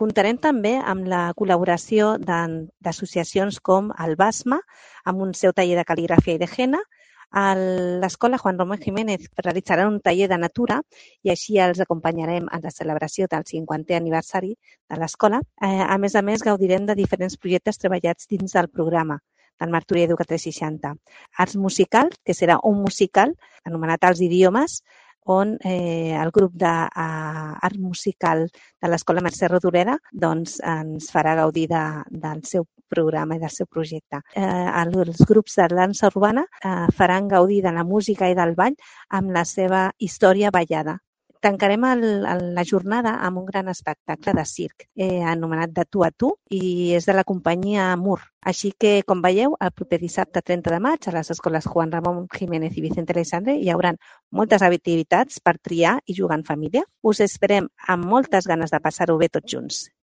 Comptarem també amb la col·laboració d'associacions com el BASMA, amb un seu taller de cal·ligrafia i de henna. A l'Escola Juan Ramón Jiménez realitzarà un taller de natura i així els acompanyarem en la celebració del 50è aniversari de l'escola. A més, gaudirem de diferents projectes treballats dins del programa del Martorell Educa 360. Arts Musical, que serà un musical anomenat Els Idiomes, on el grup d'art musical de l'Escola Mercè Rodoreda ens farà gaudir del seu programa i del seu projecte. Els grups de dansa urbana faran gaudir de la música i del ball amb la seva història ballada. Tancarem la jornada amb un gran espectacle de circ anomenat De tu a tu i és de la companyia Mur. Així que, com veieu, el proper dissabte 30 de maig a les escoles Juan Ramón Jiménez i Vicente Aleixandre hi haurà moltes activitats per triar i jugar en família. Us esperem amb moltes ganes de passar-ho bé tots junts.